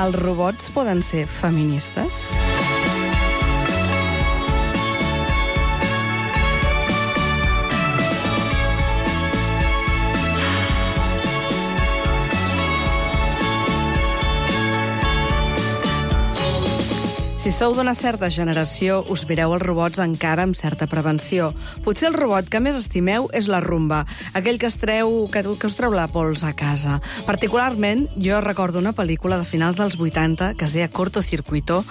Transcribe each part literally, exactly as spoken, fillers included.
els robots poden ser feministes? Si sou d'una certa generació, us mireu els robots encara amb certa prevenció. Potser el robot que més estimeu és la Rumba, aquell que, es treu, que, que us treu la pols a casa. Particularment, jo recordo una pel·lícula de finals dels vuitanta que es deia Cortocircuito,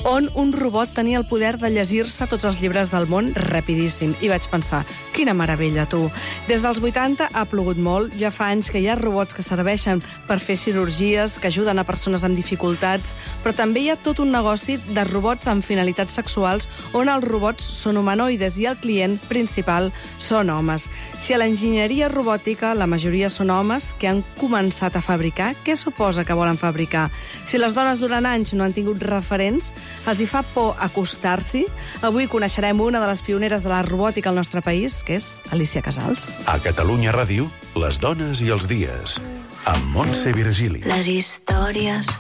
on un robot tenia el poder de llegir-se tots els llibres del món rapidíssim. I vaig pensar, quina meravella, tu! Des dels vuitanta ha plogut molt, ja fa anys que hi ha robots que serveixen per fer cirurgies, que ajuden a persones amb dificultats, però també hi ha tot un negoci de robots amb finalitats sexuals on els robots són humanoides i el client principal són homes. Si a l'enginyeria robòtica la majoria són homes que han començat a fabricar, què suposa que volen fabricar? Si les dones durant anys no han tingut referents, els hi fa por acostar-s'hi? Avui coneixerem una de les pioneres de la robòtica al nostre país, que és Alícia Casals. A Catalunya Ràdio, les dones i els dies, amb Montse Virgili. Les històries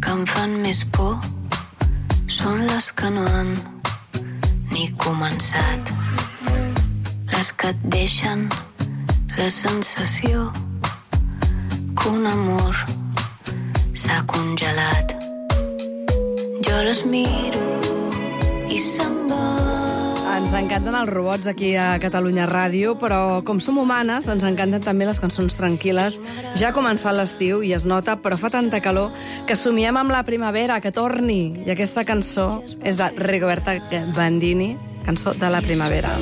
que em fan més por són les que no han ni començat, les que et deixen la sensació que un amor s'ha congelat. Jo les miro i se'n va. Ens encanten els robots aquí a Catalunya Ràdio, però com som humanes, ens encanten també les cançons tranquil·les. Ja ha començat l'estiu i es nota, però fa tanta calor que somiem amb la primavera, que torni. I aquesta cançó és de Rigoberta Bandini, cançó de la primavera.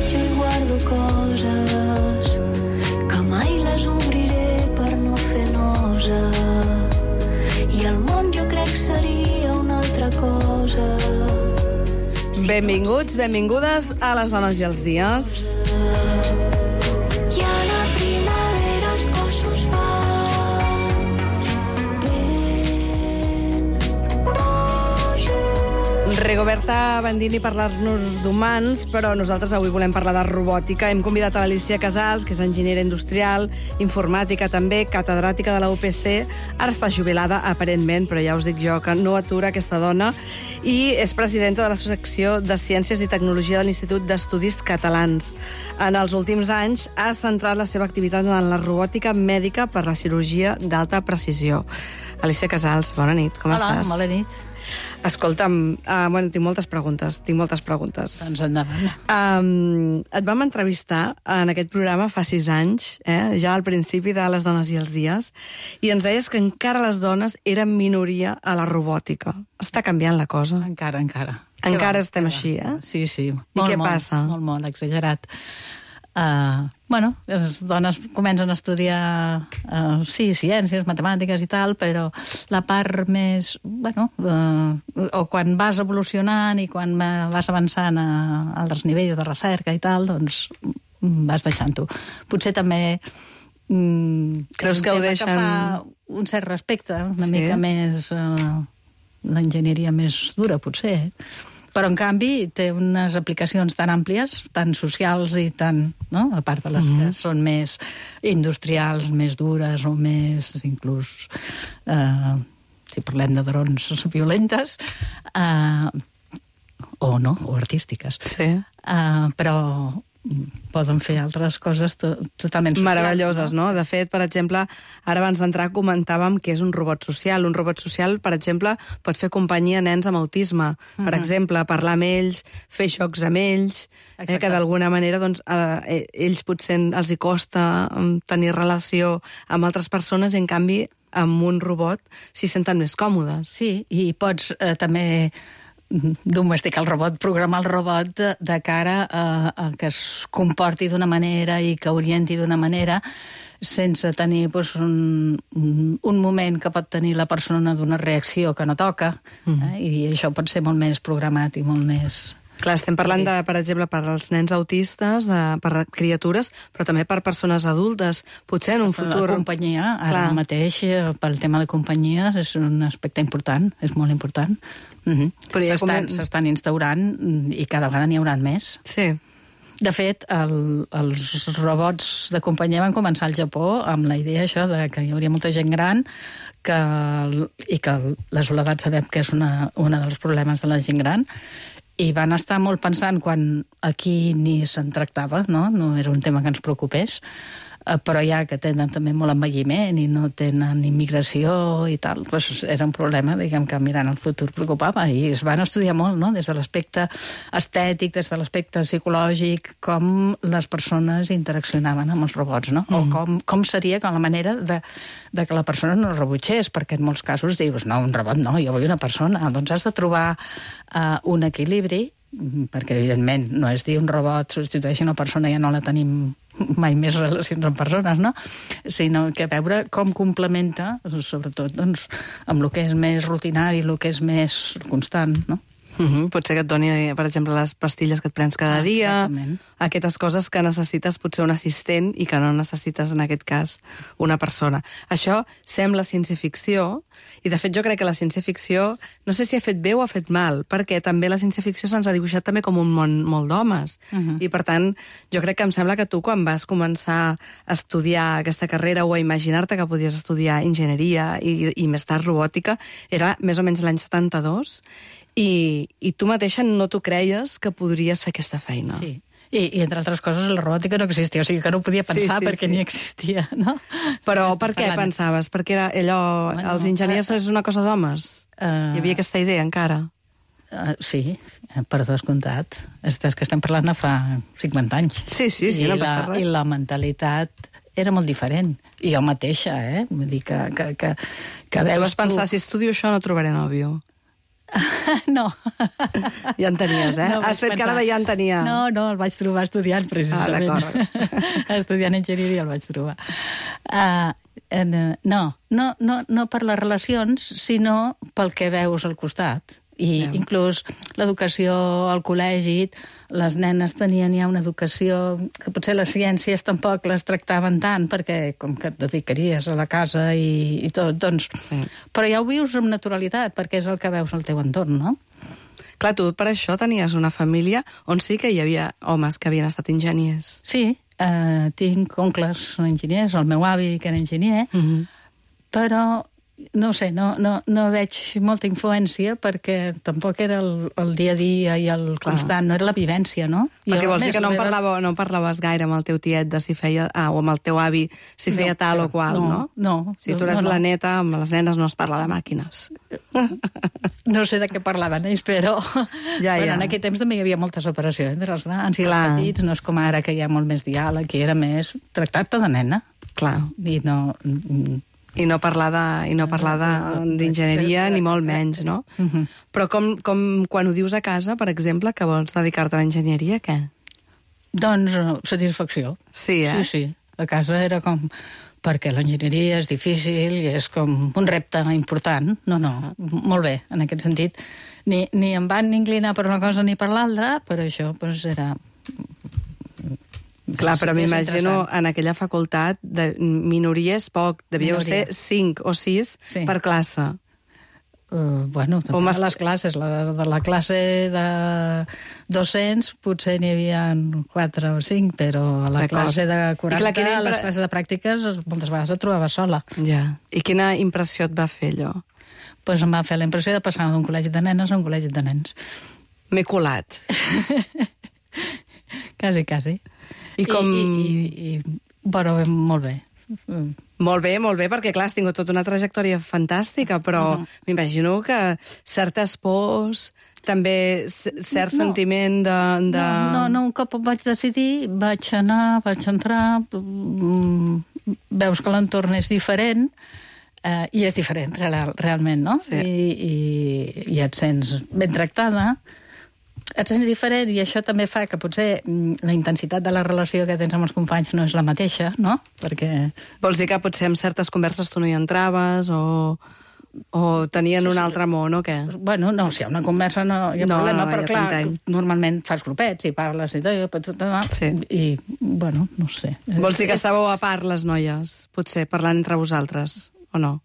Jo hi guardo coses que mai les obriré per no fer nosa. I el món jo crec seria una altra cosa. Benvinguts, benvingudes a les dones i els dies. I a la primavera els cossos van ben rojos. Rigoberta Bandini parlar-nos d'humans, però nosaltres avui volem parlar de robòtica. Hem convidat a l'Alícia Casals, que és enginyera industrial, informàtica també, catedràtica de la U P C. Ara està jubilada, aparentment, però ja us dic jo que no atura aquesta dona. I és presidenta de la secció de Ciències i Tecnologia de l'Institut d'Estudis Catalans. En els últims anys ha centrat la seva activitat en la robòtica mèdica per la cirurgia d'alta precisió. Alícia Casals, bona nit, com Hola, estàs? Hola, bona nit. Escolta'm, uh, bueno, tinc moltes preguntes, tinc moltes preguntes. Doncs endavant. Um, et vam entrevistar en aquest programa fa sis anys, eh, ja al principi de Les dones i els dies, i ens deies que encara les dones eren minoria a la robòtica. Està canviant la cosa? Encara, encara. Encara va, estem va. així, eh? Sí, sí. I Molt, què molt, passa? Molt, molt, exagerat. Uh, bueno, les dones comencen a estudiar uh, sí, ciències, matemàtiques i tal, però la part més, bueno, uh, o quan vas evolucionant i quan vas avançant a altres nivells de recerca i tal, doncs vas deixant-ho. Potser també um, creus que ho deixen... que fa un cert respecte, una sí. mica més uh, l'enginyeria més dura, potser. Però, en canvi, té unes aplicacions tan àmplies, tan socials i tan... No? A part de les mm-hmm. que són més industrials, més dures o més, inclús, eh, si parlem de drons violentes, eh, o no, o artístiques. Sí. Eh, però poden fer altres coses to totalment socials. Meravelloses, no? De fet, per exemple, ara abans d'entrar comentàvem que és un robot social. Un robot social, per exemple, pot fer companyia a nens amb autisme. Mm-hmm. Per exemple, parlar amb ells, fer xocs amb ells, eh, que d'alguna manera doncs, eh, ells potser els hi costa tenir relació amb altres persones i, en canvi, amb un robot s'hi senten més còmodes. Sí, i pots eh, també domesticar el robot, programar el robot de, de cara a, a que es comporti d'una manera i que orienti d'una manera sense tenir doncs, un, un moment que pot tenir la persona d'una reacció que no toca, mm. eh? I això pot ser molt més programat i molt més... Clar, estem parlant, de, per exemple, per als nens autistes, eh, per criatures, però també per persones adultes. Potser en un futur... La companyia, ara Clar. mateix, pel tema de companyia, és un aspecte important, és molt important. Mm-hmm. S'estan com... instaurant i cada vegada n'hi haurà més. Sí. De fet, el, els robots de companyia van començar al Japó amb la idea això de que hi hauria molta gent gran que, i que la soledat sabem que és una, una dels problemes de la gent gran, i van estar molt pensant quan aquí ni se'n tractava, no? No era un tema que ens preocupés, però ja que tenen també molt envelliment i no tenen immigració i tal, doncs era un problema, diguem, que mirant el futur preocupava, i es van estudiar molt, no?, des de l'aspecte estètic, des de l'aspecte psicològic, com les persones interaccionaven amb els robots, no? Mm. O com, com seria com la manera de, de que la persona no rebutgés, perquè en molts casos dius, no, un robot no, jo vull una persona. Doncs has de trobar uh, un equilibri, perquè evidentment no és dir un robot substitueix una persona, ja no la tenim mai més relacions amb persones, no? Sinó que veure com complementa, sobretot, doncs, amb el que és més rutinari, el que és més constant, no? Uh-huh. Potser que et doni, per exemple, les pastilles que et prens cada ah, dia, exactament. Aquestes coses que necessites potser un assistent i que no necessites, en aquest cas, una persona. Això sembla ciència-ficció, i de fet jo crec que la ciència-ficció, no sé si ha fet bé o ha fet mal, perquè també la ciència-ficció se'ns ha dibuixat també com un món molt d'homes. Uh-huh. I per tant, jo crec que em sembla que tu, quan vas començar a estudiar aquesta carrera o a imaginar-te que podies estudiar enginyeria i, i més tard robòtica, era més o menys l'any setanta-dos, I, i tu mateixa no t'ho creies que podries fer aquesta feina. Sí. I, I, entre altres coses, la robòtica no existia, o sigui que no ho podia pensar sí, sí, perquè sí. ni existia, no? Però per què parlant... pensaves? Perquè era allò, bueno, els enginyers uh, és una cosa d'homes? Uh, Hi havia aquesta idea encara? Uh, sí, per descomptat. És que estem parlant de fa cinquanta anys. Sí, sí, sí, I no passa la, res. I la mentalitat era molt diferent. I jo mateixa, eh? Vull dir que... que, que, que tu vas pensar, si estudio això no trobaré nòvio. No. Ja en tenies, eh? No, Has fet pensar... cara de ja en tenia. No, no, el vaig trobar estudiant, precisament. Ah, d'acord. Estudiant enginyeria el vaig trobar. Uh, en, no, no, no, no per les relacions, sinó pel que veus al costat. I yeah. inclús l'educació al col·legi, les nenes tenien ja una educació que potser les ciències tampoc les tractaven tant, perquè com que et dedicaries a la casa i, i tot, doncs... Sí. Però ja ho vius amb naturalitat, perquè és el que veus al teu entorn, no? Clar, tu per això tenies una família on sí que hi havia homes que havien estat enginyers. Sí, eh, tinc oncles enginyers, el meu avi que era enginyer, mm-hmm. però... No sé, no, no, no veig molta influència perquè tampoc era el, el dia a dia i el Clar. constant, no era la vivència, no? Perquè jo, vols dir que no, meva... parlava, no parlaves gaire amb el teu tiet de si feia... Ah, o amb el teu avi si feia no, tal o qual, no? No, no. Si tu eres no, no. la neta, amb les nenes no es parla de màquines. No sé de què parlaven ells, però... Ja, bueno, ja. en aquell temps també hi havia molta separació entre els grans i Clar. els petits, no és com ara que hi ha molt més diàleg, que era més tractar-te de nena. Clar. I no... I no parlar de, i no parlar d'enginyeria, ni molt menys, no? Uh-huh. Però com, com quan ho dius a casa, per exemple, que vols dedicar-te a l'enginyeria, què? Doncs satisfacció. Sí, eh? Sí, sí. A casa era com... Perquè l'enginyeria és difícil i és com un repte important. No, no, molt bé, en aquest sentit. Ni, ni em van inclinar per una cosa ni per l'altra, però això doncs, era... Clar, però m'imagino en aquella facultat de minories poc, devíeu ser cinc o sis sí. per classe. Uh, bueno, també a les classes. La, de la classe de dos-cents potser n'hi havia quatre o cinc, però a la classe de quaranta, clar, a les classes de pràctiques, moltes vegades et trobava sola. Ja. I quina impressió et va fer, allò? Pues em va fer la impressió de passar d'un col·legi de nenes a un col·legi de nens. M'he colat. Quasi, quasi. I com... I, i, i, i bueno, molt bé. Molt bé, molt bé, perquè clar, has tingut tota una trajectòria fantàstica, però uh-huh. m'imagino que certes pors, també cert no. sentiment de, de... No, no, no, un cop em vaig decidir, vaig anar, vaig entrar, veus que l'entorn és diferent, eh, i és diferent, real, realment, no? Sí. I, i, i et sents ben tractada, et sents diferent, i això també fa que potser la intensitat de la relació que tens amb els companys no és la mateixa, no? Perquè... Vols dir que potser en certes converses tu no hi entraves, o, o tenien un altre món, o què? Bueno, no, si hi ha una conversa no hi ha no, problema, però ja clar, t'entenc. Normalment fas grupets i parles i tot, sí. i, bueno, no sé. Vols dir que estàveu a part, les noies, potser, parlant entre vosaltres, o no?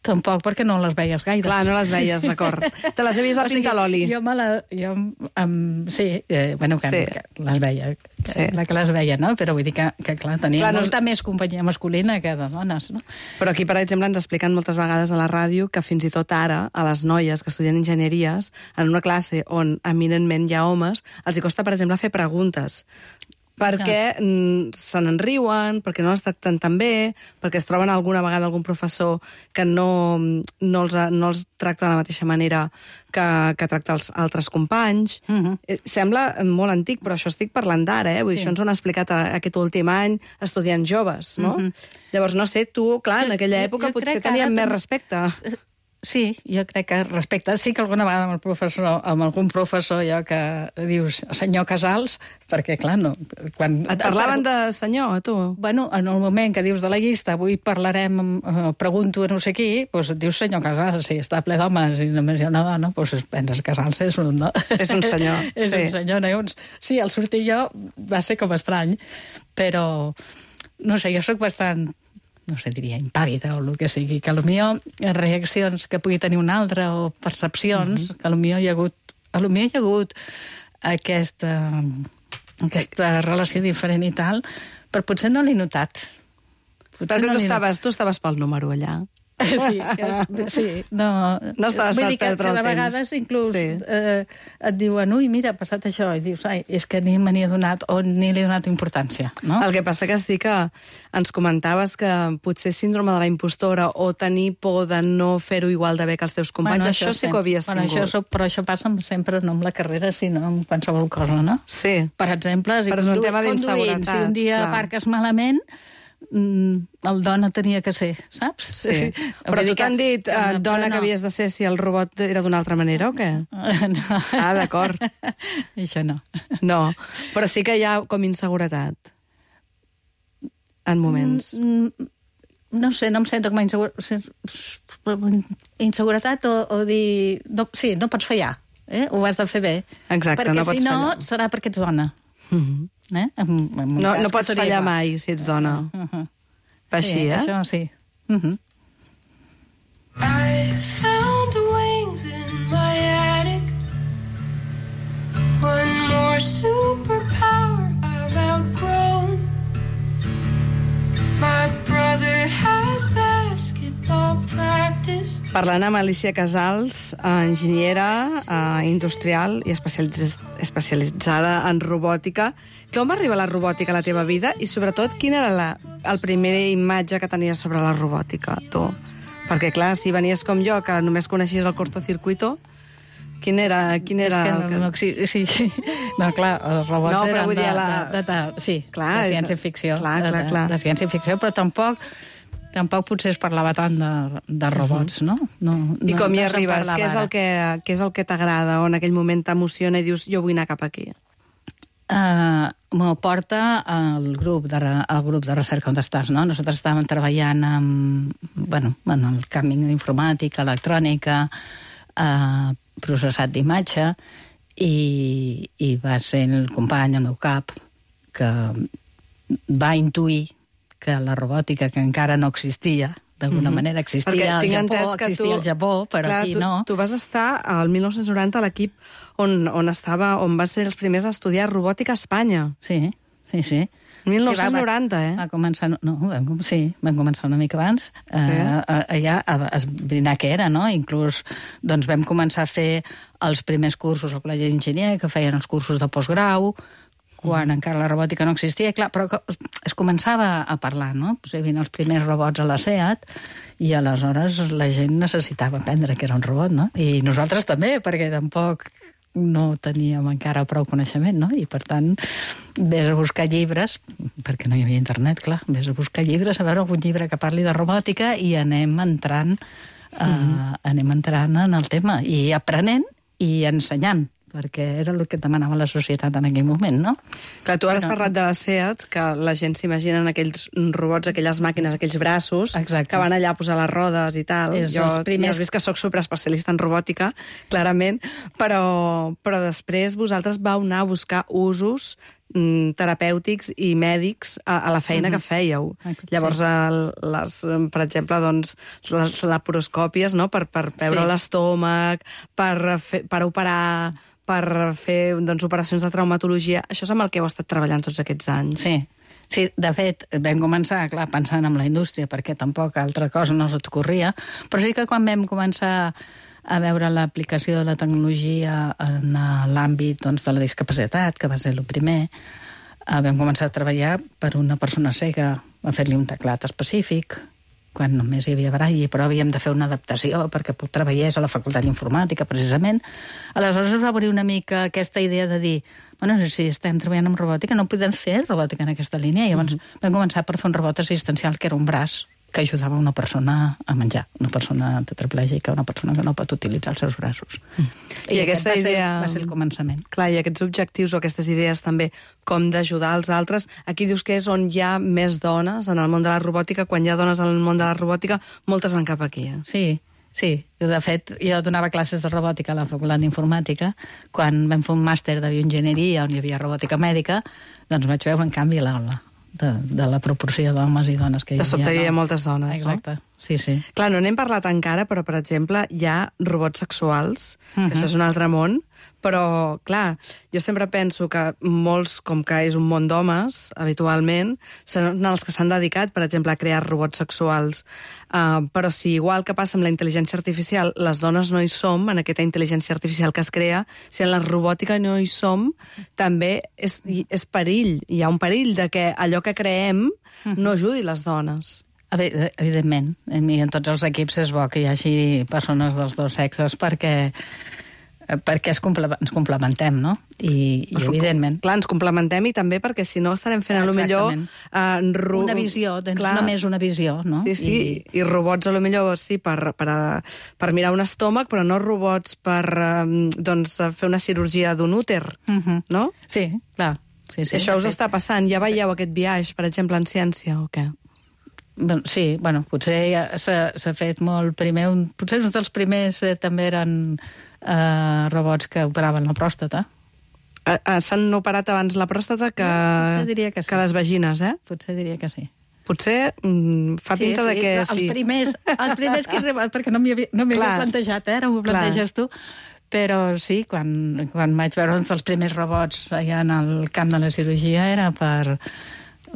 Tampoc, perquè no les veies gaire. Clar, no les veies, d'acord. Te les he vist a pintar l'oli. Jo me la... Jo, um, sí, eh, bueno, que, Sí. que les veia, que, Sí. la que les veia, no? Però vull dir que, que clar, tenia Clar, no- molta més companyia masculina que de dones, no? Però aquí, per exemple, ens expliquen moltes vegades a la ràdio que fins i tot ara, a les noies que estudien enginyeries, en una classe on eminentment hi ha homes, els hi costa, per exemple, fer preguntes. Perquè mm, se n'enriuen, perquè no les tracten tan bé, perquè es troben alguna vegada algun professor que no, no, els, no els tracta de la mateixa manera que, que tracta els altres companys. Mhm. Eh, Sembla molt antic, però això estic parlant d'ara, eh? Vull dir, Sí. això ens ho han explicat a, aquest últim any estudiants joves, no? Llavors, no sé, tu, clar, en Jo- aquella jo- època jo potser crec que teníem ara més ten- respecte. Sí, jo crec que respecte. Sí que alguna vegada amb el professor, amb algun professor jo que dius senyor Casals, perquè clar, no... Quan, Et parlaven de senyor, a tu? Bueno, en el moment que dius de la llista, avui parlarem, eh, pregunto a no sé qui, doncs et dius senyor Casals, si està ple d'homes i només hi ha una dona, doncs penses que Casals és un... No? És un senyor, és sí. un senyor, no? Uns... Sí, al sortir jo va ser com estrany, però no sé, jo sóc bastant, no sé, diria impàvida o el que sigui, que potser reaccions que pugui tenir un altre o percepcions, mm -hmm. que potser hi ha hagut, potser hi ha hagut aquesta, aquesta relació diferent i tal, però potser no l'he notat. Potser Perquè no tu l'he estaves, tu estaves pel número allà. Sí, que- sí, no... No estaves Vull per dir que, perdre que el de temps. vegades inclús Sí. eh, et diuen, ui, mira, ha passat això, i dius, ai, és que ni me n'hi he donat o ni li he donat importància, no? El que passa que sí que ens comentaves que potser síndrome de la impostora o tenir por de no fer-ho igual de bé que els teus companys, això, sí que ho havies bueno, tingut. Això, però això passa sempre no amb la carrera, sinó amb qualsevol cosa, no? Sí. Per exemple, si Però és un condu- tema conduint, d'inseguretat, si un dia clar. aparques malament, mm, el dona tenia que ser, saps? Sí. Però Vull tu dir que- t'han dit, que eh, no, dona, però que no. havies de ser si el robot era d'una altra manera o què? No. Ah, d'acord. Això no. No, però sí que hi ha com inseguretat en moments. Mm, no sé, no em sento com a insegura... inseguretat o, o dir... No, sí, no pots fallar, eh? Ho has de fer bé. Exacte, perquè no pots si no, fallar. serà perquè ets dona. Mhm. Eh? En, en un No, cas no que pots seria fallar igual. mai si ets dona. Uh -huh. Així, sí, eh? Això sí. Uh -huh. I found wings in my attic. One more superpower I've outgrown. My brother has basketball practice. Parlant amb Alicia Casals, eh, enginyera eh, industrial i especialitz especialitzada en robòtica. Com arriba la robòtica a la teva vida? I, sobretot, quina era la el primer imatge que tenies sobre la robòtica, tu? Perquè, clar, si venies com jo, que només coneixies el cortocircuito, quin era, quin És era que el no, que... no, sí, sí. No, clar, els robots No, però eren vull de, dir, la- de, de, de, sí, Clar, de ciència-ficció. clar, de, clar, de, clar. de ciència-ficció, però tampoc tampoc potser es parlava tant de, de robots, no? no I no, com hi no se'n arribes? parlava Què és el ara. que, què és el que t'agrada o en aquell moment t'emociona i dius jo vull anar cap aquí? Uh, me porta al grup, de, re- al grup de recerca on estàs, no? Nosaltres estàvem treballant amb, bueno, en el camp d'informàtica, electrònica, uh, processat d'imatge, i, i va ser el company, el meu cap, que va intuir que la robòtica, que encara no existia, d'alguna mm -hmm. manera existia Perquè al tinc Japó, entès que existia tu- al Japó, però Clar, aquí tu, no. Tu vas estar al mil nou-cents noranta a l'equip on, on, estava, on van ser els primers a estudiar robòtica a Espanya. Sí, sí, sí. mil Sí, nou-cents noranta, va, eh? Va començar, no, vam, com- sí, vam començar una mica abans, Sí. eh, allà a esbrinar què era, no? Inclús doncs, vam començar a fer els primers cursos al Col·legi d'Enginyer, que feien els cursos de postgrau, quan mm. encara la robòtica no existia, clar, però que es començava a parlar, no? Pues hi havia els primers robots a la SEAT, i aleshores la gent necessitava aprendre que era un robot, no? I nosaltres també, perquè tampoc no teníem encara prou coneixement, no? I, per tant, vés a buscar llibres, perquè no hi havia internet, clar, vés a buscar llibres, a veure algun llibre que parli de robòtica i anem entrant, uh, mm. anem entrant en el tema, i aprenent i ensenyant, perquè era el que demanava la societat en aquell moment, no? Clar, tu ara has Però- parlat de la SEAT, que la gent s'imagina en aquells robots, aquelles màquines, aquells braços, Exacte. que van allà a posar les rodes i tal. És jo els primers- ja has vist que sóc superespecialista en robòtica, clarament, però, però després vosaltres vau anar a buscar usos mm, terapèutics i mèdics a, a la feina uh-huh. que fèieu. Sí. Llavors, el, les, per exemple, doncs, les laparoscòpies, no?, per, per veure sí. l'estómac, per, fer, per operar, per fer doncs, operacions de traumatologia. Això és amb el que heu estat treballant tots aquests anys. Sí. Sí, de fet, vam començar, clar, pensant en la indústria, perquè tampoc altra cosa no se't ocorria, però sí que quan vam començar a veure l'aplicació de la tecnologia en l'àmbit doncs, de la discapacitat, que va ser el primer, vam començar a treballar per una persona cega, a fer-li un teclat específic, quan només hi havia braille, però havíem de fer una adaptació perquè treballés a la Facultat d'Informàtica, precisament. Aleshores es va obrir una mica aquesta idea de dir, bueno, si estem treballant amb robòtica, no podem fer robòtica en aquesta línia. I llavors mm-hmm. vam començar per fer un robot assistencial que era un braç que ajudava una persona a menjar, una persona tetraplègica, una persona que no pot utilitzar els seus braços. Mm. I, I aquesta va idea... Ser, va ser el començament. Clar, i aquests objectius o aquestes idees també, com d'ajudar els altres, aquí dius que és on hi ha més dones en el món de la robòtica. Quan hi ha dones en el món de la robòtica, moltes van cap aquí. Eh? Sí, sí. De fet, jo donava classes de robòtica a la Facultat d'Informàtica. Quan vam fer un màster de bioenginyeria on hi havia robòtica mèdica, doncs vaig veure un canvi a l'aula. De, de la proporció d'homes i dones que hi havia. De sobte hi havia no? moltes dones, Exacte. no? Sí, sí. Clar, no n'hem parlat encara, però, per exemple, hi ha robots sexuals, uh-huh. que això és un altre món, però, clar, jo sempre penso que molts, com que és un món d'homes, habitualment, són els que s'han dedicat, per exemple, a crear robots sexuals. Uh, però si, igual que passa amb la intel·ligència artificial, les dones no hi som, en aquesta intel·ligència artificial que es crea, si en la robòtica no hi som, també és, és perill. Hi ha un perill de que allò que creem no ajudi les dones. Evidentment, i en tots els equips és bo que hi hagi persones dels dos sexes perquè, perquè es comple ens complementem, no? I, i evidentment... Clar, ens complementem i també perquè si no estarem fent a lo millor... Uh, ro... Una visió, tens clar. Només una visió, no? Sí, sí, i, i robots a lo millor sí, per, per, per mirar un estómac, però no robots per um, doncs, fer una cirurgia d'un úter, uh-huh. no? Sí, clar. Sí, sí, això us fet... està passant? Ja veieu aquest viatge, per exemple, en ciència o què? Sí, bueno, potser ja s'ha fet molt primer. Un, potser uns dels primers eh, també eren eh, robots que operaven la pròstata. Uh, uh, S'han operat abans la pròstata que, no, diria que, sí. que les vagines, eh? Potser diria que sí. Potser mm, fa sí, pinta sí, de que... Els sí. primers, els primers que he arribat, perquè no m'hi havia, no havia plantejat, eh? Ara m'ho planteges tu. Però sí, quan, quan vaig veure uns dels primers robots allà en el camp de la cirurgia era per...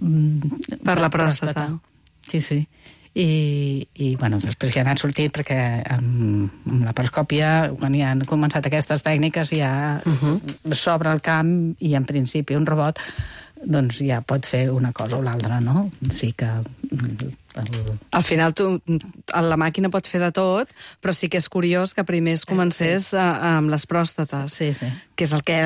Mm, per la pròstata. pròstata. Sí, sí. I, i bueno, després ja han sortit perquè amb, amb la paroscòpia, quan ja han començat aquestes tècniques, ja uh-huh. s'obre el camp i en principi un robot doncs ja pot fer una cosa o l'altra, no? Sí que... El... Al final tu, la màquina pot fer de tot, però sí que és curiós que primer es comencés sí. a, amb les pròstates, sí, sí. que és el que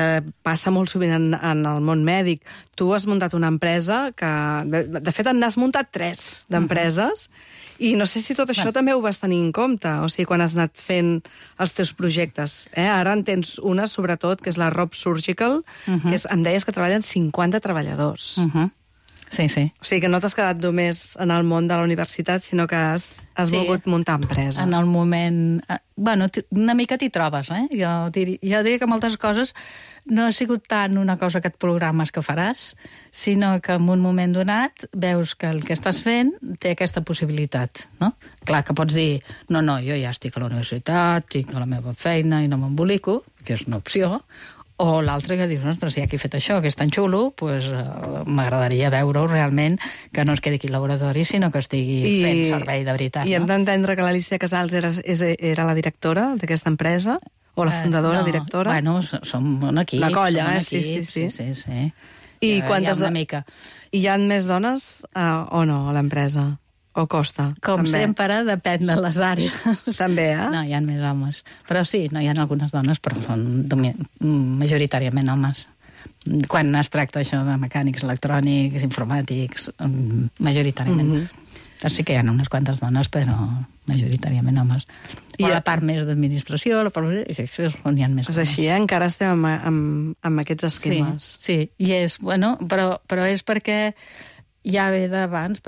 passa molt sovint en, en el món mèdic. Tu has muntat una empresa que... De fet, n'has muntat tres d'empreses, uh-huh. i no sé si tot això bueno. també ho vas tenir en compte, o sigui, quan has anat fent els teus projectes. Eh? Ara en tens una, sobretot, que és la Rob Surgical, uh-huh. que és, em deies que treballen cinquanta treballadors. Uh-huh. Sí, sí. O sigui que no t'has quedat només en el món de la universitat, sinó que has, has sí. volgut muntar empresa. En el moment... Bueno, una mica t'hi trobes, eh? Jo diria, jo diria que moltes coses no ha sigut tant una cosa que et programes que faràs, sinó que en un moment donat veus que el que estàs fent té aquesta possibilitat, no? Clar que pots dir, no, no, jo ja estic a la universitat, tinc la meva feina i no m'embolico, que és una opció, o l'altre que dius, ostres, si aquí he fet això, que és tan xulo, pues, uh, m'agradaria veure-ho realment, que no es quedi aquí al laboratori, sinó que estigui I, fent servei de veritat. I hem no? d'entendre que l'Alicia Casals era, era la directora d'aquesta empresa? O la fundadora, uh, no, directora? Bueno, som un equip. Una colla, eh? Un equip, sí, sí, sí. sí, sí, sí. I, ja, quantes... ja una mica. I hi ha més dones uh, o no a l'empresa? O costa? Com també. sempre, depèn de les àrees. També, eh? No, hi ha més homes. Però sí, no hi ha algunes dones, però són majoritàriament homes. Quan es tracta això de mecànics, electrònics, informàtics, majoritàriament. Mm-hmm. Sí que hi ha unes quantes dones, però majoritàriament homes. I o la part més d'administració, la part més... És on hi ha més és homes. Així, eh? Encara estem amb, amb, amb aquests esquemes. Sí, sí. I és, bueno, però, però és perquè... ja ve d'abans,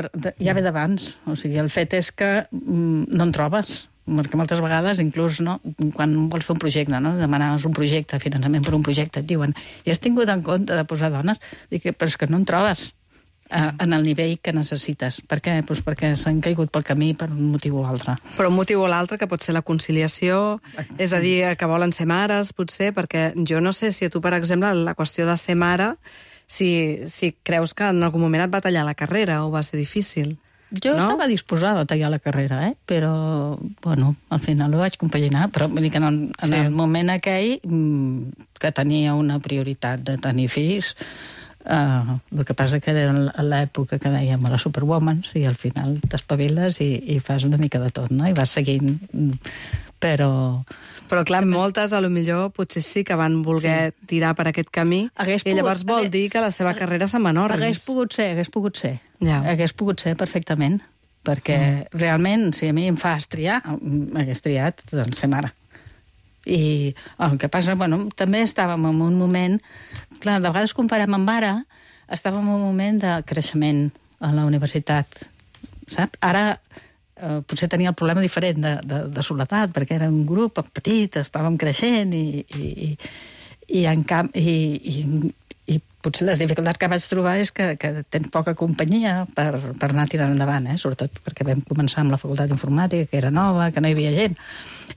ja ve d'abans. O sigui, el fet és que mm, no en trobes. perquè moltes vegades, inclús, no, quan vols fer un projecte, no, demanes un projecte, finançament per un projecte, et diuen, i has tingut en compte de posar dones? Dic, però és que no en trobes eh, en el nivell que necessites. Per què? Pues perquè s'han caigut pel camí per un motiu o altre. Però un motiu o l'altre, que pot ser la conciliació, és a dir, que volen ser mares, potser, perquè jo no sé si a tu, per exemple, la qüestió de ser mare, si, si creus que en algun moment et va tallar la carrera o va ser difícil. Jo no? estava disposada a tallar la carrera, eh? Però, bueno, al final ho vaig compaginar, però vull dir que en el, en Sí. el moment aquell que tenia una prioritat de tenir fills, eh, el que passa que era l'època que dèiem a les Superwomans i al final t'espaviles i, i fas una mica de tot, no? I vas seguint, però... Però, clar, moltes, a lo millor, potser sí que van voler sí. tirar per aquest camí, Hagués i llavors pogut- vol hagués- dir que la seva carrera se'n va en orris. Hagués pogut ser, hagués pogut ser. Ja. Hagués pogut ser perfectament, perquè mm. realment, si a mi em fas triar, hagués triat doncs, ser mare. I el que passa, bueno, també estàvem en un moment... Clar, de vegades comparem amb ara, estàvem en un moment de creixement a la universitat, saps? Ara eh, potser tenia el problema diferent de, de, de soledat, perquè era un grup petit, estàvem creixent i, i, i, i, en camp, i, i, i potser les dificultats que vaig trobar és que, que tens poca companyia per, per anar tirant endavant, eh? Sobretot perquè vam començar amb la facultat d'informàtica, que era nova, que no hi havia gent,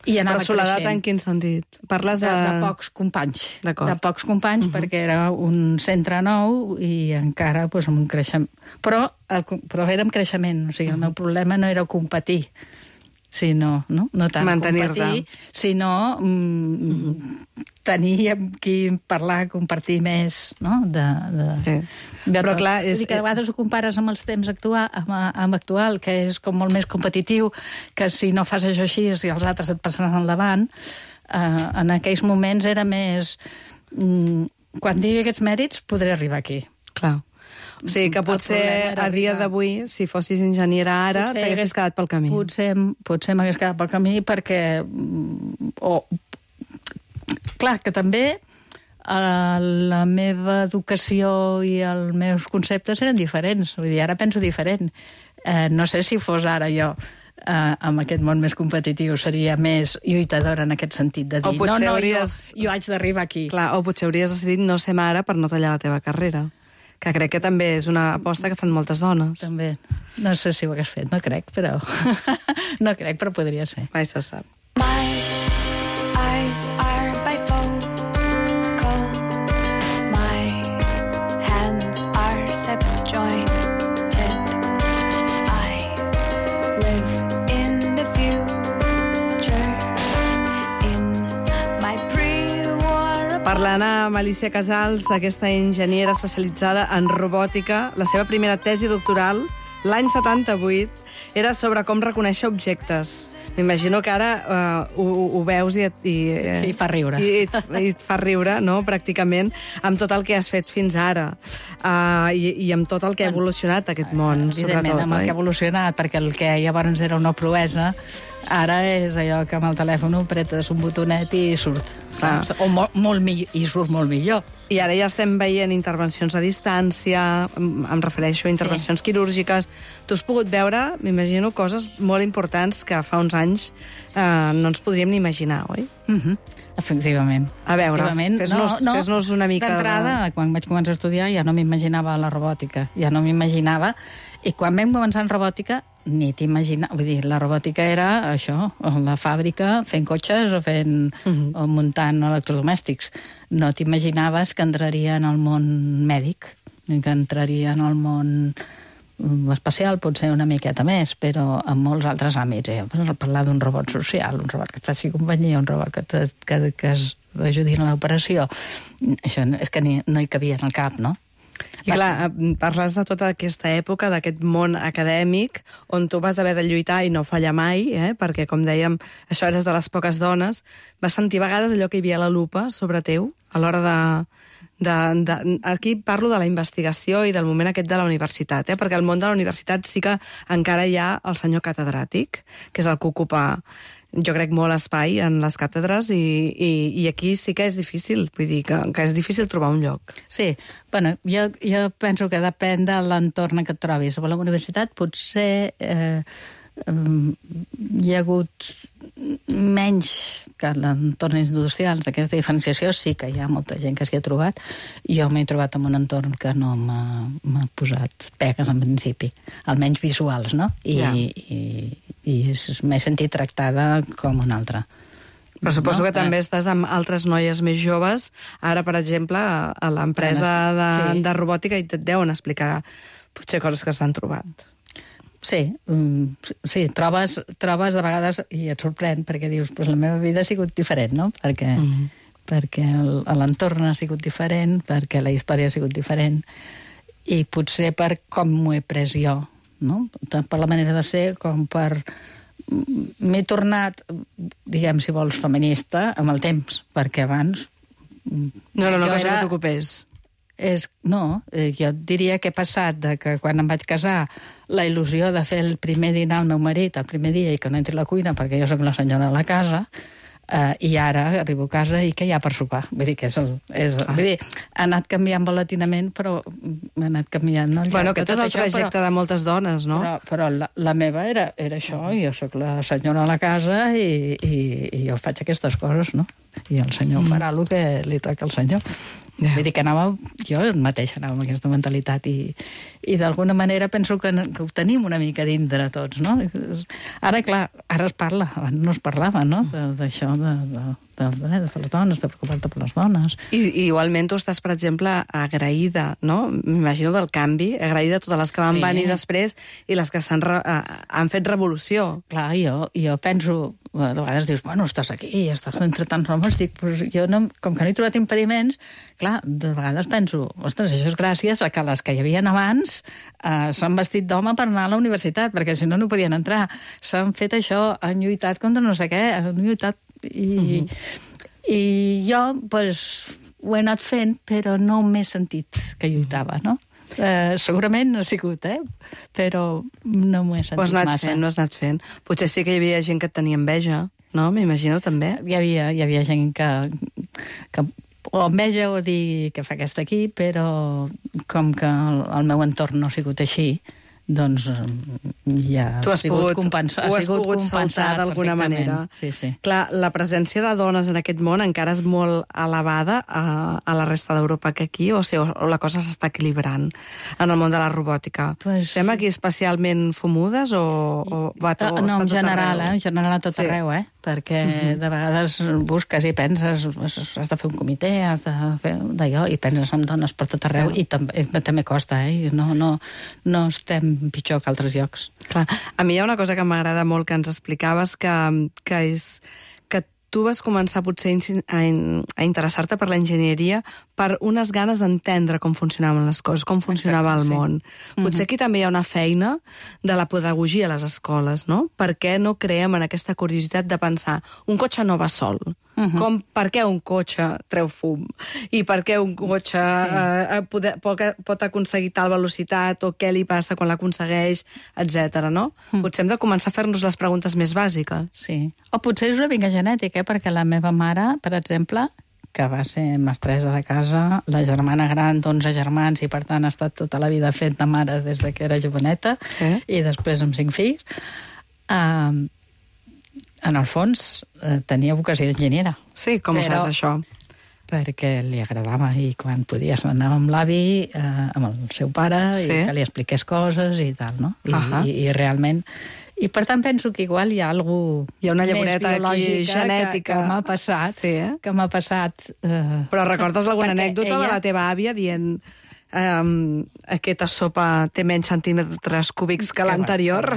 i anava Però soledat creixent. en quin sentit? Parles De, de... de pocs companys. D'acord. De pocs companys, uh -huh. perquè era un centre nou i encara pues, amb un creixement. Però, el, però era amb creixement, o sigui, el meu problema no era competir, sinó, no, no tant Mantenir-te. competir, sinó mm, uh -huh. tenir amb qui parlar, compartir més, no?, de... de Sí. de Però, tot. clar, és- Vull dir que a vegades ho compares amb els temps actual, amb, amb actual, que és com molt més competitiu, que si no fas això així i els altres et passaran al davant, eh, en aquells moments era més... Mm, quan tingui aquests mèrits podré arribar aquí. Clar. O sigui, que El potser problema era a dia arribar- d'avui, si fossis enginyera ara, Potser t'haguessis hagués- quedat pel camí. Potser, potser m'hagués quedat pel camí perquè... mm, O, clar, que també eh, la meva educació i els meus conceptes eren diferents. Vull dir, ara penso diferent. Eh, no sé si fos ara jo eh, amb aquest món més competitiu seria més lluitadora en aquest sentit de dir, O no, potser no, hauries- jo, jo haig d'arribar aquí. Clar, o potser hauries decidit no ser mare per no tallar la teva carrera. Que crec que també és una aposta que fan moltes dones. També. No sé si ho hagués fet, no crec, però... no crec, però podria ser. Mai se sap. My eyes are bifocal. My hands are subjointed. I live in the future. In my pre-war Parlant amb Alicia Casals, aquesta enginyera especialitzada en robòtica, la seva primera tesi doctoral, l'any setanta-vuit, era sobre com reconèixer objectes. M'imagino que ara uh, ho, ho veus i, et, i, eh, Sí, fa riure. I, et, i et fa riure, no?, pràcticament, amb tot el que has fet fins ara. Uh, i, I amb tot el que ha evolucionat aquest món, Evidentment, sobretot. amb el que ha evolucionat, perquè el que llavors era una proesa, ara és allò que amb el telèfon apretes un botonet i surt. Clar. Saps? O molt, molt millor, i surt molt millor. I ara ja estem veient intervencions a distància, em, em refereixo a intervencions sí. quirúrgiques. Tu has pogut veure, m'imagino, coses molt importants que fa uns anys eh, no ens podríem ni imaginar, oi? Uh -huh. Efectivament. A veure, Efectivament. fes-nos- fes-nos una mica de- D'entrada, quan vaig començar a estudiar, ja no m'imaginava la robòtica. Ja no m'imaginava. I quan vam començar en robòtica, ni t'imaginava. Vull dir, la robòtica era això, la fàbrica fent cotxes o fent uh -huh. o muntant electrodomèstics. No t'imaginaves que entraria en el món mèdic, ni que entraria en el món espacial, potser una miqueta més, però en molts altres àmbits. Eh? Parlar d'un robot social, un robot que et faci companyia, un robot que, te, que, que es ajudi en l'operació, això és que ni, no hi cabia en el cap, no? I clar, parles de tota aquesta època, d'aquest món acadèmic, on tu vas haver de lluitar i no fallar mai, eh? Perquè, com dèiem, això eres de les poques dones. Vas sentir a vegades allò que hi havia a la lupa sobre teu, a l'hora de... De, de, aquí parlo de la investigació i del moment aquest de la universitat, eh? Perquè al món de la universitat sí que encara hi ha el senyor catedràtic, que és el que ocupa, jo crec, molt espai en les càtedres, i, i, i aquí sí que és difícil, vull dir que, que és difícil trobar un lloc. Sí, bueno, jo, jo penso que depèn de l'entorn en què et trobis. A la universitat potser... Eh, um, hi ha hagut menys que l'entorn industrial d'aquesta diferenciació, sí que hi ha molta gent que s'hi ha trobat. Jo m'he trobat en un entorn que no m'ha posat pegues en principi, almenys visuals, no? I, ja. i, i m'he sentit tractada com una altra. Però suposo no? que també estàs amb altres noies més joves. Ara, per exemple, a l'empresa de, sí. de robòtica i et deuen explicar potser coses que s'han trobat. Sí, um, sí, trobes, trobes de vegades, i et sorprèn, perquè dius, pues la meva vida ha sigut diferent, no? Perquè, mm -hmm. perquè l'entorn ha sigut diferent, perquè la història ha sigut diferent, i potser per com m'ho he pres jo, no? Tant per la manera de ser com per... M'he tornat, diguem, si vols, feminista amb el temps, perquè abans... No era una cosa era... que t'ocupés. És, no, jo diria que he passat de que quan em vaig casar la il·lusió de fer el primer dinar al meu marit el primer dia i que no entri a la cuina perquè jo sóc la senyora de la casa, eh, i ara arribo a casa i què hi ha per sopar? Vull dir que és el... És, ah. Vull dir, ha anat canviant volatinament, però ha anat canviant... No? Bueno, aquest és el trajecte però, de moltes dones, no? Però, però la, la meva era, era això, jo sóc la senyora de la casa i, i, i jo faig aquestes coses, no? I el senyor mm. farà el que li toca al senyor. Yeah. Vull dir que anava, jo mateix anava amb aquesta mentalitat i, i d'alguna manera penso que, que ho tenim una mica dintre tots, no? Ara, clar, ara es parla, abans no es parlava, no?, d'això, de, de, dels drets de les dones, de preocupar-te per les dones. I, I igualment tu estàs, per exemple, agraïda, no?, m'imagino del canvi, agraïda a totes les que van sí. venir després i les que s'han han fet revolució. Clar, jo, jo penso... A vegades dius, bueno, estàs aquí, estàs entre tants homes, dic, pues jo no, com que no he trobat impediments, clar, de vegades penso, ostres, això és gràcies a que les que hi havia abans eh, s'han vestit d'home per anar a la universitat, perquè si no, no podien entrar. S'han fet això, han lluitat contra no sé què, han lluitat... I, uh -huh. i jo, pues, ho he anat fent, però no m'he sentit que lluitava, no? Uh, segurament no ha sigut, eh? Però no m'ho he sentit massa. Ho has anat fent, no has anat fent. Potser sí que hi havia gent que et tenia enveja, no? M'imagino, també. Hi havia, hi havia gent que, que o enveja o dir que fa aquesta aquí, però com que el, el meu entorn no ha sigut així, doncs ja tu has ha sigut pogut, compensat. Ho has pogut saltar d'alguna manera. Sí, sí. Clar, la presència de dones en aquest món encara és molt elevada a, a la resta d'Europa que aquí, o, sigui, o la cosa s'està equilibrant en el món de la robòtica. Pues... Estem aquí especialment fumudes o, o va tot, no, no, en general, arreu? eh? En general a tot sí. arreu, eh? Perquè uh-huh. de vegades busques i penses, has de fer un comitè, has de fer d'allò, i penses en dones per tot arreu, uh-huh. i també, també costa, eh? No, no, no estem pitjor que altres llocs. Clar. A mi hi ha una cosa que m'agrada molt que ens explicaves, que, que és que tu vas començar potser a, a interessar-te per l'enginyeria per unes ganes d'entendre com funcionaven les coses, com funcionava Exacte, el món. Sí. Potser aquí també hi ha una feina de la pedagogia a les escoles, no? Per què no creem en aquesta curiositat de pensar un cotxe no va sol? Uh-huh. Com, per què un cotxe treu fum? I per què un cotxe sí. eh, pot, pot aconseguir tal velocitat? O què li passa quan l'aconsegueix? Etcètera, no? Uh-huh. Potser hem de començar a fer-nos les preguntes més bàsiques. Sí. O potser és una mica genètica, eh? Perquè la meva mare, per exemple, que va ser mestressa de casa, la germana gran d'onze germans, i per tant ha estat tota la vida fent de mare des que era joveneta, sí. i després amb cinc fills, eh, en el fons eh, tenia vocació d'enginyera. Sí, com ho saps, això? Perquè li agradava, i quan podia anava amb l'avi, eh, amb el seu pare, sí. i que li expliqués coses i tal, no? I, uh-huh. i, i realment... I per tant penso que igual hi ha alguna hi ha una llavoreta aquí genètica que, que m'ha passat, sí, eh? que m'ha passat... Eh, Però recordes alguna anècdota ella... de la teva àvia dient um, aquesta sopa té menys centímetres cúbics que, que l'anterior?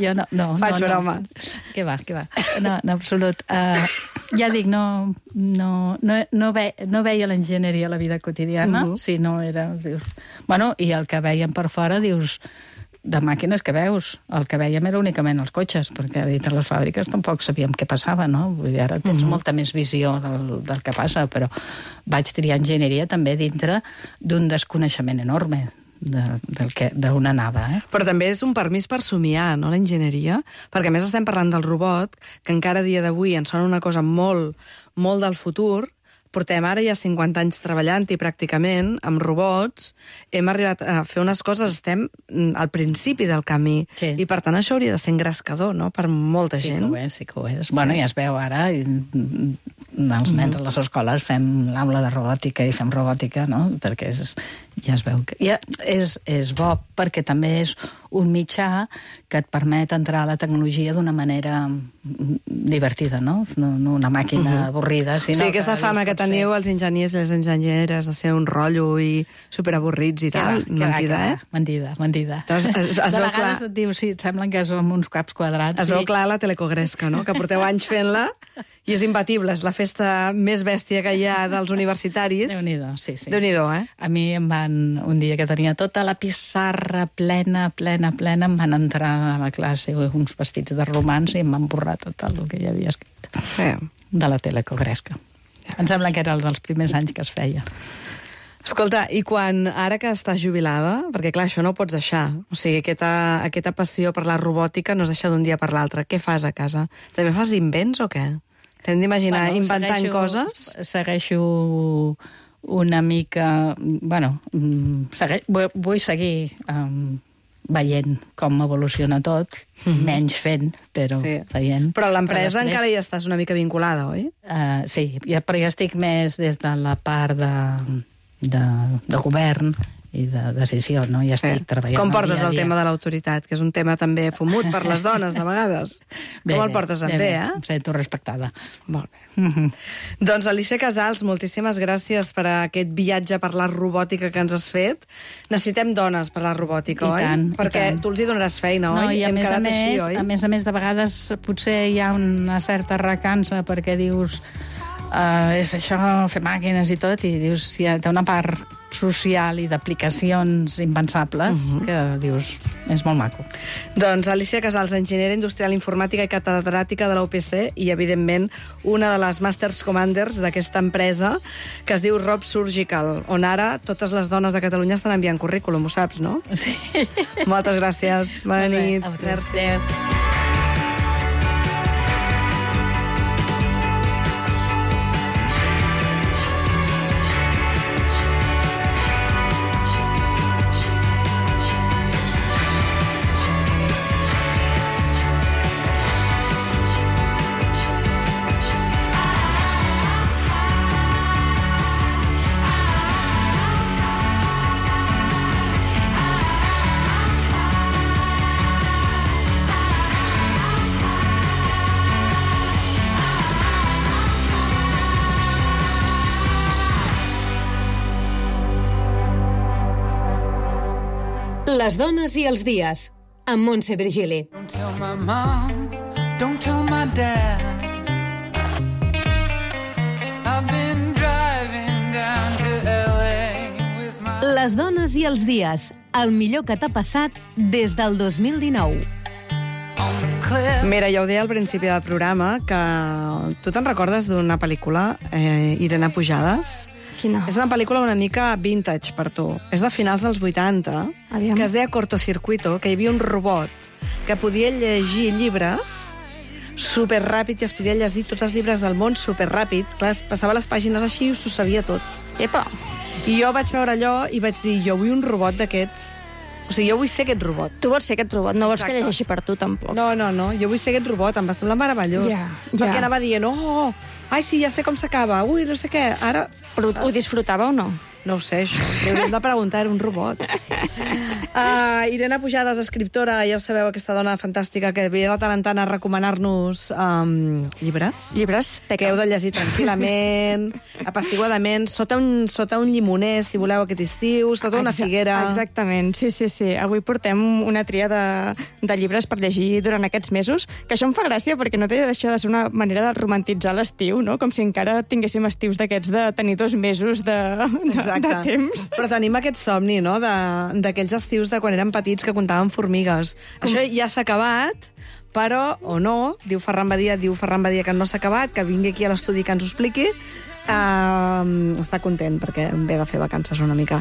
Jo no, no. Faig no, broma. No. Què va, què va. No, en absolut. Uh, ja dic, no, no, no, no, ve, no veia l'enginyeria a la vida quotidiana, uh-huh. si no era... Dius, bueno, i el que veiem per fora, dius... de màquines que veus. El que veiem era únicament els cotxes, perquè dintre les fàbriques tampoc sabíem què passava, no? Vull dir, ara tens uh-huh. molta més visió del, del que passa, però vaig triar enginyeria també dintre d'un desconeixement enorme de, del que, d'on anava. Eh? Però també és un permís per somiar, no?, l'enginyeria, perquè a més estem parlant del robot, que encara a dia d'avui ens sona una cosa molt, molt del futur, portem ara ja cinquanta anys treballant-hi pràcticament, amb robots, hem arribat a fer unes coses, estem al principi del camí, Sí. i per tant això hauria de ser engrescador, no?, per molta Sí gent. que ho és, sí que ho és. Sí. Bueno, ja es veu ara, i, els nens a les escoles fem l'aula de robòtica i fem robòtica, no?, perquè és, ja es veu que... Ja, és, és bo, perquè també és un mitjà que et permet entrar a la tecnologia d'una manera divertida, no? No, no una màquina uh -huh. avorrida, sinó Sí, aquesta fama que teniu fer... els enginyers i les enginyeres de ser un rotllo i superavorrits i Que tal, va, que mentida, va, que eh? va. Mentida, mentida. Doncs es- es de veu vegades clar- et diu, sí, et semblen que som uns caps quadrats. Es sí. veu clar la telecogresca, no?, que porteu anys fent-la i és imbatible, és la festa més bèstia que hi ha dels universitaris. Déu-n'hi-do, sí, sí. Déu-n'hi-do, eh? A mi em van, un dia que tenia tota la pissarra plena, plena, plena, em van entrar a la classe uns vestits de romans i em van borrar tot el que hi havia escrit Sí. de la telecogresca. Em sembla que era el dels primers anys que es feia. Escolta, i quan, ara que estàs jubilada, perquè clar, això no ho pots deixar, o sigui, aquesta, aquesta passió per la robòtica no es deixa d'un dia per l'altre. Què fas a casa? També fas invents o què? T'hem d'imaginar bueno, inventant segueixo, coses? Segueixo una mica... Bueno, segue, vull, vull seguir um, veient com evoluciona tot, mm-hmm. menys fent, però Sí. veient. Però a l'empresa després, encara hi estàs una mica vinculada, oi? Uh, sí, ja, però ja estic més des de la part de, de, de govern i de decisió, no? Ja estic treballant Com portes dia a el dia. tema de l'autoritat, que és un tema també fumut per les dones, de vegades? Bé, Com el bé, portes en bé, bé, bé, eh? Em sento respectada. Molt bé. Mm-hmm. Doncs Alicia Casals, moltíssimes gràcies per aquest viatge per la robòtica que ens has fet. Necessitem dones per la robòtica, I oi? tant, i Perquè tant. tu els hi donaràs feina, No, oi? i a Hem més a quedat més, així, oi? a més a més, de vegades potser hi ha una certa recança perquè dius uh, és això, fer màquines i tot, i dius, hi ha té una part social i d'aplicacions impensables Mhm. que dius, és molt maco. Doncs Alicia Casals, enginyera industrial informàtica i catedràtica de la U P C i, evidentment, una de les Masters Commanders d'aquesta empresa que es diu Rob Surgical, on ara totes les dones de Catalunya estan enviant currículum, ho saps, no? Sí. Moltes gràcies. Bona nit. Merci. Adéu. Les dones i els dies, amb Montse Virgili. Don't tell my mom, don't tell my dad. I've been driving down to L A with my... Les dones i els dies, el millor que t'ha passat des del dos mil dinou. on the cliff. Mira, ja ho deia al principi del programa, que tu te'n recordes d'una pel·lícula, eh, Irene Pujades? Quina? És una pel·lícula una mica vintage per tu. És de finals dels vuitanta, Aviam. que es deia Cortocircuito, que hi havia un robot que podia llegir llibres superràpid i es podia llegir tots els llibres del món superràpid. Clar, es passava les pàgines així i us ho sabia tot. Epa! I jo vaig veure allò i vaig dir, jo vull un robot d'aquests. O sigui, jo vull ser aquest robot. Tu vols ser aquest robot, no vols Exacte. que llegeixi per tu, tampoc. No, no, no, jo vull ser aquest robot, em va semblar meravellós. Ja, Perquè ja. anava dient, oh, ai, sí, ja sé com s'acaba, ui, no sé què, ara... Però ho disfrutava o no? No ho sé, això. Li hauríem de preguntar, era un robot. Uh, Irene Pujades, escriptora, ja ho sabeu, aquesta dona fantàstica que ve de tant en tant a recomanar-nos um, llibres. Llibres Que heu de llegir tranquil·lament, apaciguadament, sota un, sota un llimoner, si voleu, aquest estiu, sota una Exa- figuera... Exactament, sí, sí, sí. Avui portem una tria de, de llibres per llegir durant aquests mesos, que això em fa gràcia perquè no té de deixar de ser una manera de romantitzar l'estiu, no? Com si encara tinguéssim estius d'aquests de tenir dos mesos de, de, de temps. Però tenim aquest somni, no?, de- d'aquells estius de quan érem petits que comptàvem formigues. Com... Això ja s'ha acabat, però, o no, diu Ferran Badia, diu Ferran Badia que no s'ha acabat, que vingui aquí a l'estudi que ens ho expliqui, Uh, està content perquè ve de fer vacances una mica.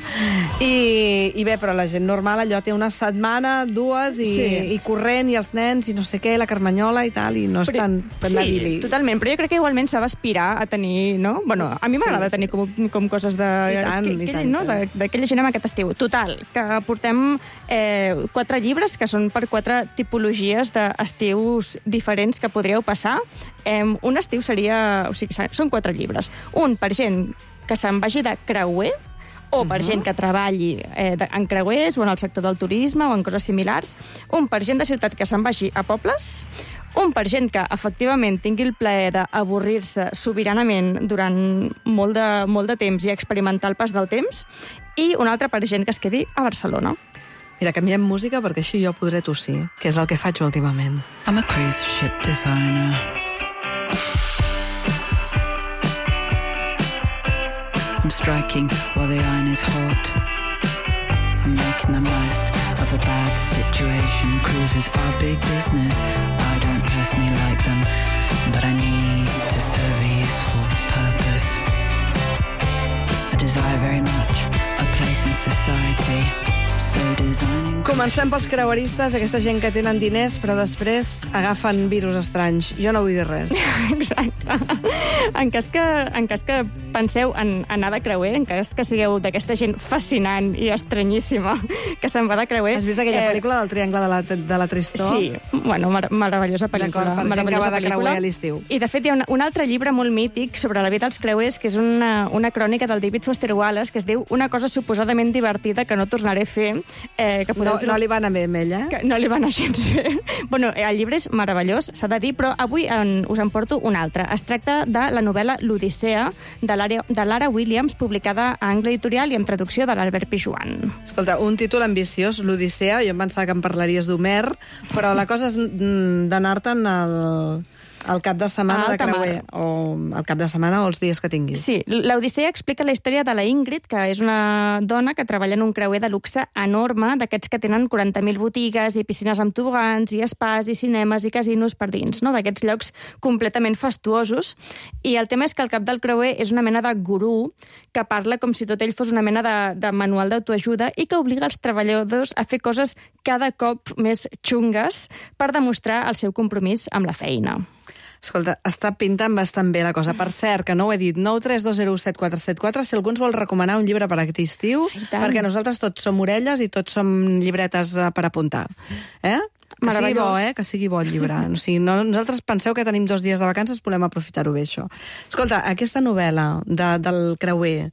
I, i bé, però la gent normal allò té una setmana, dues, i, Sí. i corrent, i els nens, i no sé què, la Carmanyola i tal, i no és Però- tan Sí, navili. totalment, però jo crec que igualment s'ha d'aspirar a tenir, no? Bueno, a mi m'agrada Sí, sí. tenir com, com coses de... I tant, que, i que, tant, no? i tant. De- D'aquella gent amb aquest estiu. Total, que portem eh, quatre llibres que són per quatre tipologies d'estius diferents que podríeu passar. Eh, un estiu seria... O sigui, són quatre llibres. Un per gent que se'n vagi de creuer, o per gent que treballi eh, de- en creuers o en el sector del turisme o en coses similars. Un per gent de ciutat que se'n vagi a pobles. Un per gent que efectivament tingui el plaer d'avorrir-se sobiranament durant molt de, molt de temps i experimentar el pas del temps. I un altre per gent que es quedi a Barcelona. Mira, canviem música perquè així jo podré tossir, que és el que faig últimament. I'm a cruise ship designer. I'm striking while the iron is hot. I'm making the most of a bad situation. Cruises are big business. I don't personally like them, but I need to serve a useful purpose. I desire very much a place in society. So designing... Comencem pels creueristes, aquesta gent que tenen diners, però després agafen virus estranys. Jo no vull dir res. Exacte. En cas que, en cas que penseu en anar de creuer, en cas que sigueu d'aquesta gent fascinant i estranyíssima que se'n va de creuer... Has vist aquella pel·lícula del Triangle de la, de la Tristor? Sí, bueno, mar meravellosa pel·lícula. D'acord, per gent que meravellosa va de pel·lícula. creuer a l'estiu. I, de fet, hi ha un, un altre llibre molt mític sobre la vida dels creuers, que és una, una crònica del David Foster Wallace, que es diu Una cosa suposadament divertida que no tornaré a fer. Eh, que No, podeu no li va anar bé amb ell, eh? que no li va anar gens bé. Bueno, el llibre és meravellós, s'ha de dir, però avui en, us en porto un altre. Es tracta de la novel·la L'Odissea, de Lara, de Lara Williams, publicada a Angle Editorial i amb traducció de l'Albert Pijuan. Escolta, un títol ambiciós, l'Odissea, jo em pensava que em parlaries d'Homer, però la cosa és mm, d'anar-te'n al, al cap de setmana A de alta creuer, mar. o al cap de setmana o els dies que tinguis. Sí, l'Odissea explica la història de la Ingrid, que és una dona que treballa en un creuer de luxe enorme, d'aquests que tenen quaranta mil botigues i piscines amb tobogans i espais i cinemes i casinos per dins, no? D'aquests llocs completament fastuosos. I el tema és que el cap del creuer és una mena de gurú que parla com si tot ell fos una mena de, de manual d'autoajuda i que obliga els treballadors a fer coses cada cop més xungues per demostrar el seu compromís amb la feina. Escolta, està pintant bastant bé la cosa. Per cert, que no ho he dit, nou tres dos zero set quatre set quatre, si algú ens vol recomanar un llibre per aquest estiu, Ai, tant. perquè nosaltres tots som orelles i tots som llibretes eh, per apuntar. Eh? Que sigui bo, eh? Que sigui bo el llibre. O sigui, no, nosaltres penseu que tenim dos dies de vacances, volem aprofitar-ho bé, això. Escolta, aquesta novel·la de, del creuer,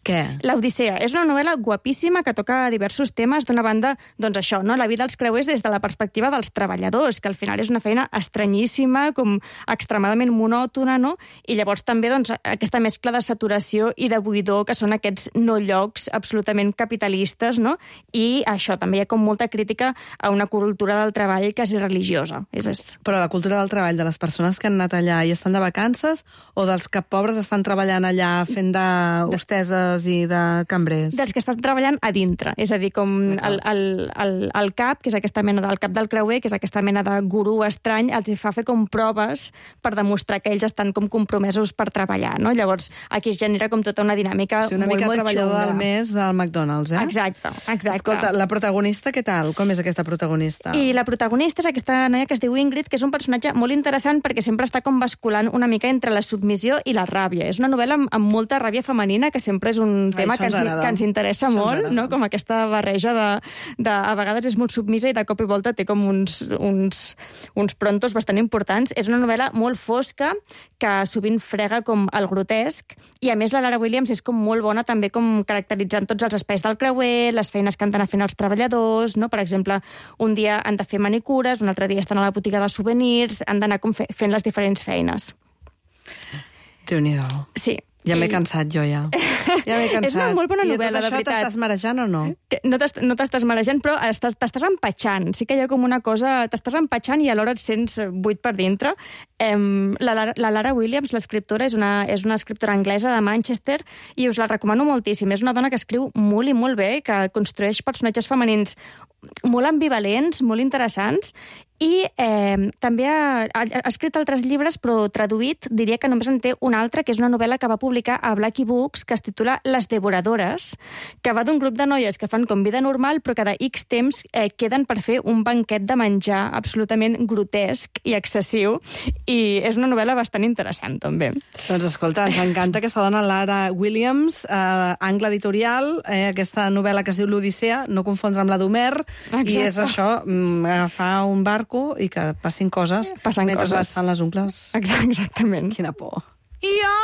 què? L'Odissea és una novel·la guapíssima que toca diversos temes. D'una banda, doncs això, no? La vida dels creuers des de la perspectiva dels treballadors, que al final és una feina estranyíssima, com extremadament monòtona, no? I llavors també doncs, aquesta mescla de saturació i de buidor, que són aquests no llocs absolutament capitalistes, no? I això, també hi ha com molta crítica a una cultura del treball quasi religiosa. És, és... Però la cultura del treball de les persones que han anat allà i estan de vacances, o dels que pobres estan treballant allà fent de hosteses i de cambrers? Dels que estan treballant a dintre. És a dir, com el, el, el, el cap, que és aquesta mena del cap del creuer, que és aquesta mena de gurú estrany, els hi fa fer com proves per demostrar que ells estan com compromesos per treballar, no? Llavors, aquí es genera com tota una dinàmica Sí, una molt, mica molt treballador xunga. del mes del McDonald's, eh? Exacte, exacte. Escolta, la protagonista, què tal? Com és aquesta protagonista? I la protagonista és aquesta noia que es diu Ingrid, que és un personatge molt interessant perquè sempre està com basculant una mica entre la submissió i la ràbia. És una novel·la amb, amb molta ràbia femenina, que sempre és un tema això que ens ens, agrada. que ens interessa Això ens molt, agrada. no? Com aquesta barreja de, de... A vegades és molt submisa i de cop i volta té com uns, uns, uns prontos bastant importants. És una novel·la molt fosca, que sovint frega com el grotesc, i a més la Lara Williams és com molt bona també com caracteritzant tots els espais del creuer, les feines que han d'anar fent els treballadors, no? Per exemple, un dia han de fer manicures, un altre dia estan a la botiga de souvenirs, han d'anar com fe, fent les diferents feines. Déu-n'hi-do. Sí. Ja m'he I- cansat, jo, ja. Ja m'he cansat. És una molt bona I novel·la, tot de això veritat. t'estàs marejant o no? Que no t'est- no t'estàs marejant, però estàs- t'estàs empatxant. Sí que hi ha com una cosa... T'estàs empatxant i alhora et sents buit per dintre. Em, la, Lara- la Lara Williams, l'escriptora, és una, és una escriptora anglesa de Manchester i us la recomano moltíssim. És una dona que escriu molt i molt bé, que construeix personatges femenins molt ambivalents, molt interessants, I eh, també ha, ha escrit altres llibres, però traduït diria que només en té un altre, que és una novel·la que va publicar a Blackie Books, que es titula Les devoradores, que va d'un grup de noies que fan com vida normal, però cada X temps eh, queden per fer un banquet de menjar absolutament grotesc i excessiu, i és una novel·la bastant interessant, també. Doncs escolta, ens encanta aquesta dona, Lara Williams, eh, Angle Editorial, eh, aquesta novel·la que es diu L'Odissea, no confondre amb la d'Homer, i és això, mm, agafar un barco i que passin coses Passen mentre coses. es fan les ungles. Exactament. Quina por. Jo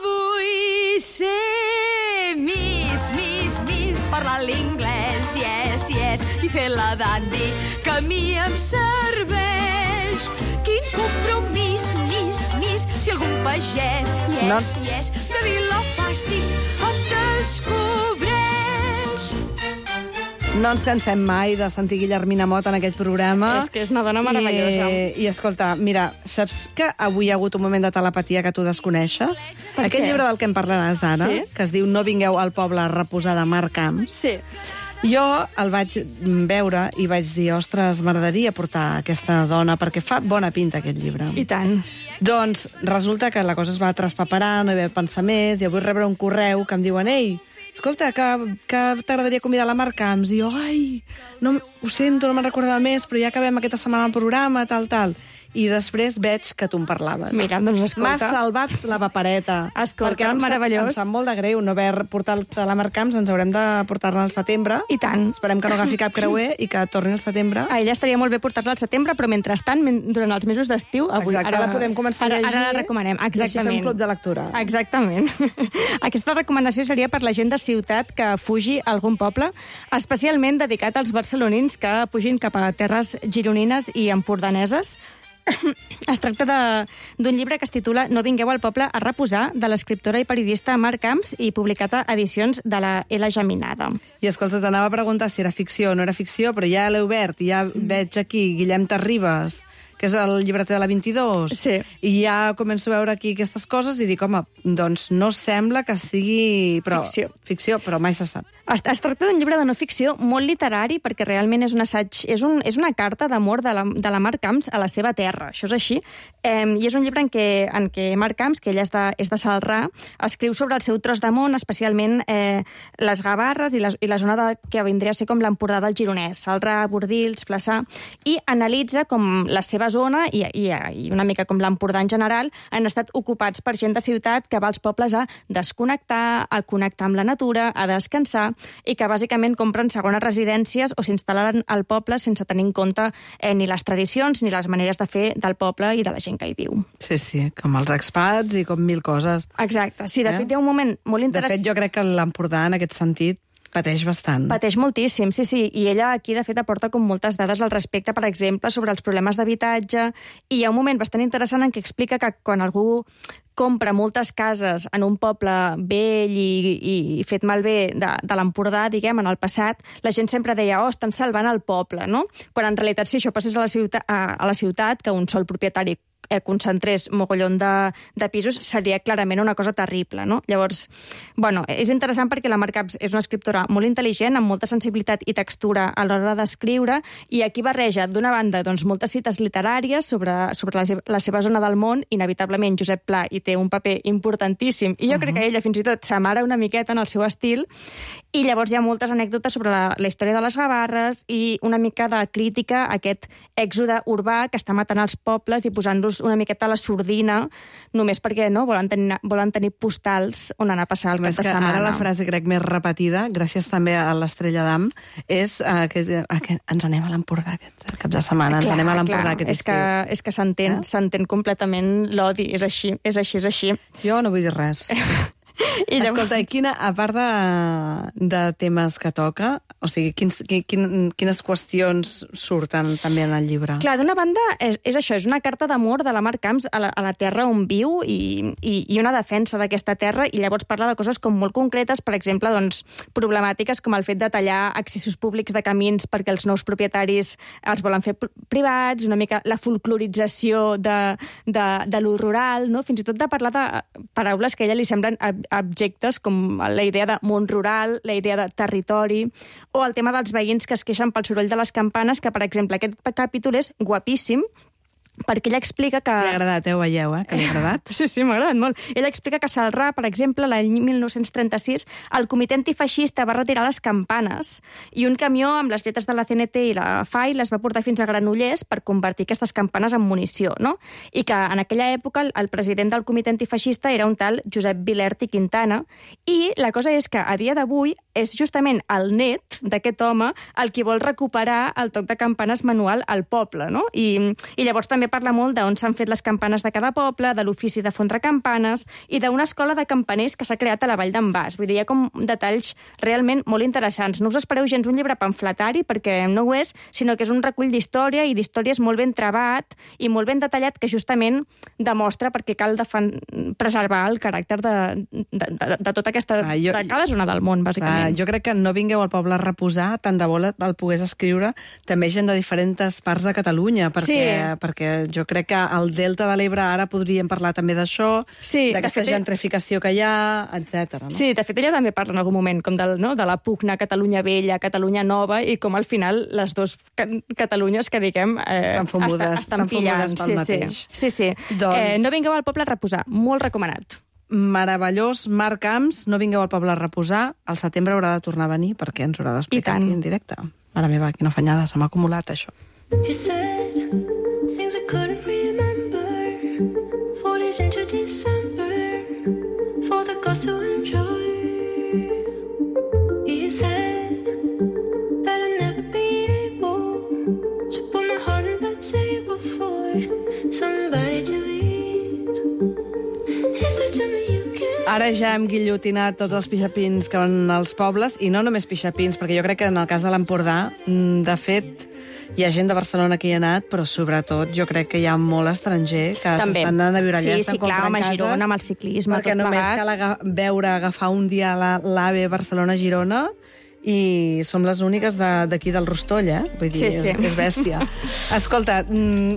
vull ser Miss, Miss, Miss, parlar l'inglès, yes, yes, i fer la dandy, que a mi em serveix. Quin compromís, Miss, Miss, si algun pagès, yes, No. yes, de Vilafàstics em descobreix. No ens cansem mai de sentir Guillermina Mott en aquest programa. És que és una dona meravellosa. I, i escolta, mira, saps que avui hi ha hagut un moment de telepatia que tu desconeixes? Per Aquest què? llibre del que em parlaràs ara, Sí? que es diu No vingueu al poble a reposar de Marc Camps, Sí. jo el vaig veure i vaig dir, ostres, m'agradaria portar aquesta dona, perquè fa bona pinta aquest llibre. I tant. Doncs resulta que la cosa es va traspaperar, no hi va pensar més, i avui rebre un correu que em diuen, ei, escolta, que, que t'agradaria convidar la Marc Camps. I jo, ai, no, ho sento, no me'n recordava més, però ja acabem aquesta setmana el programa, tal, tal. I després veig que tu em parlaves. Mira, doncs escolta. M'has salvat la papereta. Escolta, perquè em sap- meravellós. Em sap molt de greu no haver portat a la Marc Camps, ens haurem de portar-la al setembre. I tant. Esperem que no agafi cap creuer i que torni al setembre. A ella estaria molt bé portar-la al setembre, però mentrestant, men- durant els mesos d'estiu... avui- Exacte, ara la podem començar ara, a llegir. Ara la recomanem, I així exactament. fem club de lectura. Exactament. Aquesta recomanació seria per la gent de ciutat que fugi a algun poble, especialment dedicat als barcelonins que pugin cap a terres gironines i empordaneses. Es tracta de- d'un llibre que es titula No vingueu al poble a reposar, de l'escriptora i periodista Marc Camps, i publicat a edicions de la L. Geminada. I escolta, t'anava a preguntar si era ficció o no era ficció, però ja l'he obert i ja veig aquí Guillem Terribas, que és el llibreter de la vint-i-dos, Sí. i ja començo a veure aquí aquestes coses i dic, home, doncs no sembla que sigui... Però, Ficció. Ficció, però mai se sap. Es, es tracta d'un llibre de no ficció molt literari, perquè realment és un assaig, és, un, és una carta d'amor de, la, de la Marc Camps a la seva terra, això és així. Eh, I és un llibre en què, en què Marc Camps, que ella és de, és de Celrà, escriu sobre el seu tros de món, especialment eh, les Gavarres i la, i la zona de, que vindria a ser com l'Empordà del Gironès, Celrà, Bordils, Flaçà, i analitza com la seva zona i, i, i una mica com l'Empordà en general han estat ocupats per gent de ciutat que va als pobles a desconnectar, a connectar amb la natura, a descansar, i que bàsicament compren segones residències o s'instal·len al poble sense tenir en compte eh, ni les tradicions ni les maneres de fer del poble i de la gent que hi viu. Sí, sí, com els expats i com mil coses. Exacte. Sí, de Eh? fet, hi ha un moment molt De interessant. fet, jo crec que l'Empordà, en aquest sentit, pateix bastant. Pateix moltíssim, sí, sí. I ella aquí, de fet, aporta com moltes dades al respecte, per exemple, sobre els problemes d'habitatge. I hi ha un moment bastant interessant en què explica que quan algú compra moltes cases en un poble vell i, i fet malbé de, de l'Empordà, diguem, en el passat, la gent sempre deia, oh, estan salvant el poble, no? Quan en realitat, si això passés a la ciutat, a, a la ciutat que un sol propietari eh, concentrés mogollon de, de pisos, seria clarament una cosa terrible, no? Llavors, bueno, és interessant perquè la Marc Camps és una escriptora molt intel·ligent, amb molta sensibilitat i textura a l'hora d'escriure, i aquí barreja, d'una banda, doncs, moltes cites literàries sobre, sobre la, seva, la seva zona del món, inevitablement Josep Pla hi té un paper importantíssim, i jo uh -huh. crec que ella fins i tot s'amara una miqueta en el seu estil, i llavors hi ha moltes anècdotes sobre la, la història de les Gavarres i una mica de crítica a aquest èxode urbà que està matant els pobles i posant-los una miqueta a la sordina, només perquè no volen tenir, volen tenir postals on anar a passar el cap Més de que setmana. ara la frase, crec, més repetida, gràcies també a l'Estrella d'Am, és uh, que, uh, que ens anem a l'Empordà aquest cap de setmana, ens Clar, anem a l'Empordà clar, aquest és estiu. que, és que s'entén, Eh? s'entén completament l'odi, és així, és així, és així. Jo no vull dir res. I llavors... Escolta, i quina, a part de, de temes que toca, o sigui, quins, quin, quines qüestions surten també en el llibre? Clar, d'una banda, és, és això, és una carta d'amor de la Marc Camps a la, a la terra on viu i, i, i una defensa d'aquesta terra, i llavors parla de coses com molt concretes, per exemple, doncs, problemàtiques com el fet de tallar accessos públics de camins perquè els nous propietaris els volen fer privats, una mica la folclorització de, de, de lo rural, no? Fins i tot de parlar de paraules que a ella li semblen objectes com la idea de món rural, la idea de territori, o el tema dels veïns que es queixen pel soroll de les campanes, que, per exemple, aquest capítol és guapíssim, perquè ella explica que... Li ha agradat, eh? Ho veieu, eh? Que li ha agradat. Sí, sí, m'ha agradat molt. Ella explica que a Celrà, per exemple, l'any mil nou-cents trenta-sis, el comitè antifeixista va retirar les campanes i un camió amb les lletres de la C N T i la F A I les va portar fins a Granollers per convertir aquestes campanes en munició, no? I que en aquella època el president del comitè antifeixista era un tal Josep Vilert i Quintana, i la cosa és que a dia d'avui és justament el net d'aquest home el qui vol recuperar el toc de campanes manual al poble, no? I, i llavors també parla molt d'on s'han fet les campanes de cada poble, de l'ofici de fondre campanes i d'una escola de campaners que s'ha creat a la Vall d'en Bas. Vull dir, hi ha com detalls realment molt interessants. No us espereu gens un llibre pamfletari, perquè no ho és, sinó que és un recull d'història i d'històries molt ben trebat i molt ben detallat, que justament demostra perquè cal defen... preservar el caràcter de, de, de, de tota aquesta... Clar, jo, de cada zona del món, bàsicament. Clar, jo crec que No vingueu al poble a reposar, tant de bo el pogués escriure també gent de diferents parts de Catalunya, perquè, sí. perquè jo crec que al Delta de l'Ebre ara podríem parlar també d'això, sí, d'aquesta fet, gentrificació que hi ha, etcètera. No? Sí, de fet, ella també parla en algun moment com del, no, de la pugna Catalunya Vella, Catalunya Nova, i com al final les dues Catalunyes que, diguem, eh, estan fungudes, estan, estan pillant. pel sí, mateix. Sí, sí. sí. Doncs... Eh, no vingueu al poble a reposar, molt recomanat. Meravellós, Marc Camps, No vingueu al poble a reposar, al setembre haurà de tornar a venir perquè ens haurà d'explicar aquí en directe. Mare meva, quina fanyada, se m'ha acumulat això. You said things I couldn't remember, four days into December, for the girls to enjoy. You said that I'd never be able to put my heart on the table for somebody to eat. Is it to me you can... Ara ja hem guillotinat tots els pixapins que van als pobles, i no només pixapins, perquè jo crec que en el cas de l'Empordà, de fet, hi ha gent de Barcelona que hi ha anat, però sobretot jo crec que hi ha molt estranger que s'estan anant a viure allà, sí, estan sí, clar, comprant cases. Girona, amb el ciclisme, perquè tot només plegat. cal aga veure, agafar un dia l'AVE Barcelona-Girona i som les úniques d'aquí de, del Rostoll, eh? Vull dir, sí, sí. És, és bèstia. Escolta,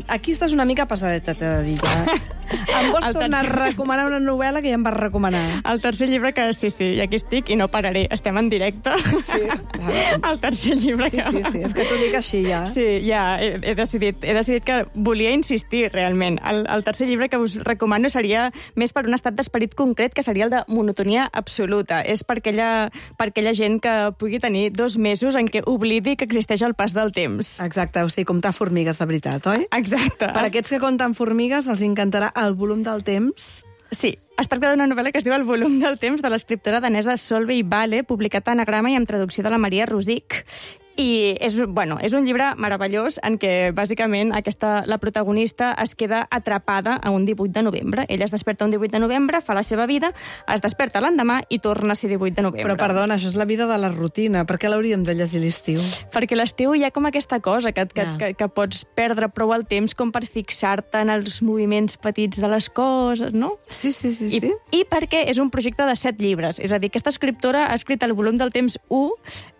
aquí estàs una mica pesadeta, t'he de dir, ja. Em vols el tornar tercer... a recomanar una novel·la que ja em vas recomanar? El tercer llibre que, sí, sí, i aquí estic i no pararé, estem en directe. Sí, clar. El tercer llibre sí, que... Sí, sí, és que t'ho dic així, ja. Sí, ja, he, he, decidit, he decidit que volia insistir, realment. El, el tercer llibre que us recomano seria més per un estat d'esperit concret, que seria el de monotonia absoluta. És per aquella, per aquella gent que pugui tenir dos mesos en què oblidi que existeix el pas del temps. Exacte, o sigui, comptar formigues de veritat, oi? Exacte. Per aquests que compten formigues els encantarà El volum del temps. Sí, es tracta d'una novel·la que es diu El volum del temps, de l'escriptora danesa Solveig Vale, publicat a Anagrama i amb traducció de la Maria Rosic. I és, bueno, és un llibre meravellós en què, bàsicament, aquesta, la protagonista es queda atrapada a un divuit de novembre. Ella es desperta un divuit de novembre, fa la seva vida, es desperta l'endemà i torna a ser divuit de novembre. Però, perdona, això és la vida de la rutina. Per què l'hauríem de llegir l'estiu? Perquè l'estiu hi ha com aquesta cosa que, que, yeah. que, que pots perdre prou el temps com per fixar-te en els moviments petits de les coses, no? Sí, sí, sí. I, sí. I perquè és un projecte de set llibres. És a dir, aquesta escriptora ha escrit el volum del temps u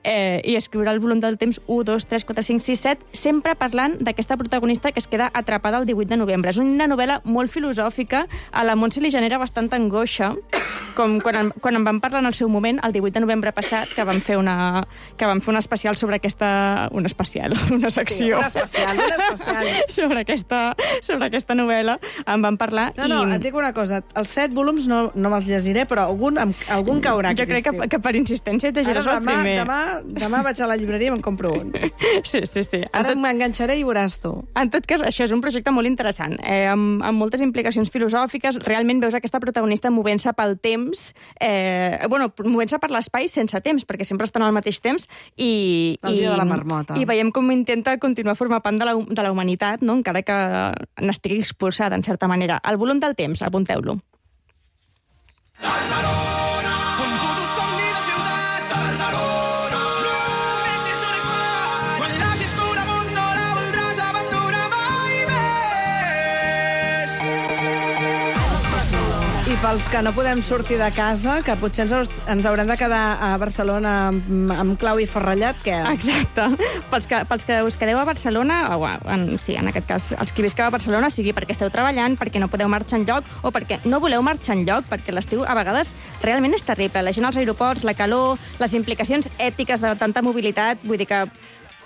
eh, i escriurà el volum del temps u, dos, tres, quatre, cinc, sis, set, sempre parlant d'aquesta protagonista que es queda atrapada el divuit de novembre. És una novel·la molt filosòfica, a la Montse li genera bastanta angoixa, com quan, en, quan en vam parlar en el seu moment, el divuit de novembre passat, que vam fer una, que vam fer un especial sobre aquesta... Un especial, una secció. Sí, un especial, un especial. sobre, aquesta, sobre aquesta novel·la, en vam parlar. No, no, i... et dic una cosa, els set volums no, no me'ls llegiré, però algun, algun caurà. Jo crec que, que per insistència et llegiràs el primer. Demà, demà vaig a la llibreria i me'n compro un. Sí, sí, sí. Ara tot... m'enganxaré i veuràs tu. En tot cas, això és un projecte molt interessant, eh, amb, amb moltes implicacions filosòfiques. Realment veus aquesta protagonista movent-se pel temps, eh, bueno, movent-se per l'espai sense temps, perquè sempre estan al mateix temps, i... El dia i, de la marmota. I veiem com intenta continuar a formar part de la, de la humanitat, no? Encara que n'estigui expulsada, en certa manera. El volum del temps, apunteu-lo. pels que no podem sortir de casa, que potser ens, ens haurem de quedar a Barcelona amb, amb clau i forrellat, què? Exacte. Pels que, pels que us quedeu a Barcelona, o en, sí, en aquest cas, els que visqueu a Barcelona, sigui perquè esteu treballant, perquè no podeu marxar enlloc, o perquè no voleu marxar enlloc, perquè l'estiu a vegades realment és terrible. La gent als aeroports, la calor, les implicacions ètiques de tanta mobilitat, vull dir que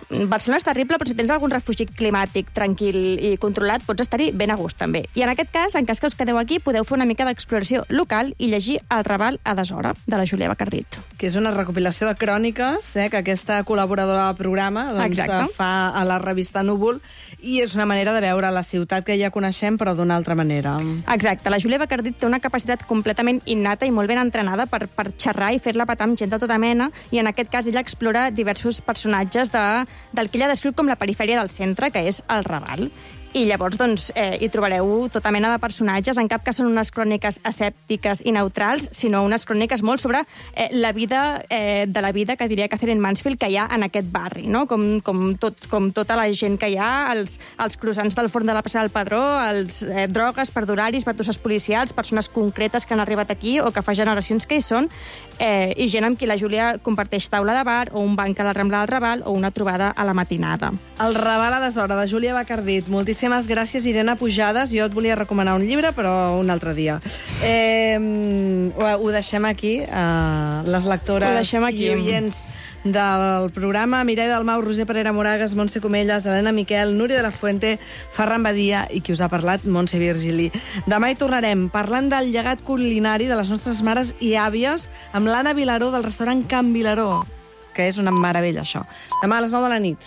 Barcelona és terrible, però si tens algun refugi climàtic tranquil i controlat, pots estar-hi ben a gust, també. I en aquest cas, en cas que us quedeu aquí, podeu fer una mica d'exploració local i llegir El Raval a deshora, de la Júlia Bacardit. Que és una recopilació de cròniques, eh, que aquesta col·laboradora del programa doncs, fa a la revista Núvol, i és una manera de veure la ciutat que ja coneixem, però d'una altra manera. Exacte. La Júlia Bacardit té una capacitat completament innata i molt ben entrenada per, per xerrar i fer-la petar amb gent de tota mena, i en aquest cas ella explora diversos personatges de del que ella descriu com la perifèria del centre, que és el Raval. I llavors doncs, eh, hi trobareu tota mena de personatges. En cap cas són unes cròniques asèptiques i neutrals, sinó unes cròniques molt sobre eh, la vida eh, de la vida que diria Catherine Mansfield que hi ha en aquest barri, no? Com, com, tot, com tota la gent que hi ha, els, els croissants del forn de la plaça del Pedró, els eh, drogues, perdularis, batusses policials, persones concretes que han arribat aquí o que fa generacions que hi són, eh, i gent amb qui la Júlia comparteix taula de bar o un banc a la Rambla del Raval o una trobada a la matinada. El Raval a deshora, de Júlia Bacardit. Moltíssimes gràcies, Irene Pujades. Jo et volia recomanar un llibre, però un altre dia. Eh, ho, ho deixem aquí. Uh, les lectores aquí. i oients del programa: Mireia Dalmau, Roser Parera Moragas, Montse Comelles, Helena Miquel, Núria de la Fuente, Ferran Badia i qui us ha parlat, Montse Virgili. Demà hi tornarem parlant del llegat culinari de les nostres mares i àvies amb l'Anna Vilaró del restaurant Can Vilaró, que és una meravella, això. Demà a les nou de la nit.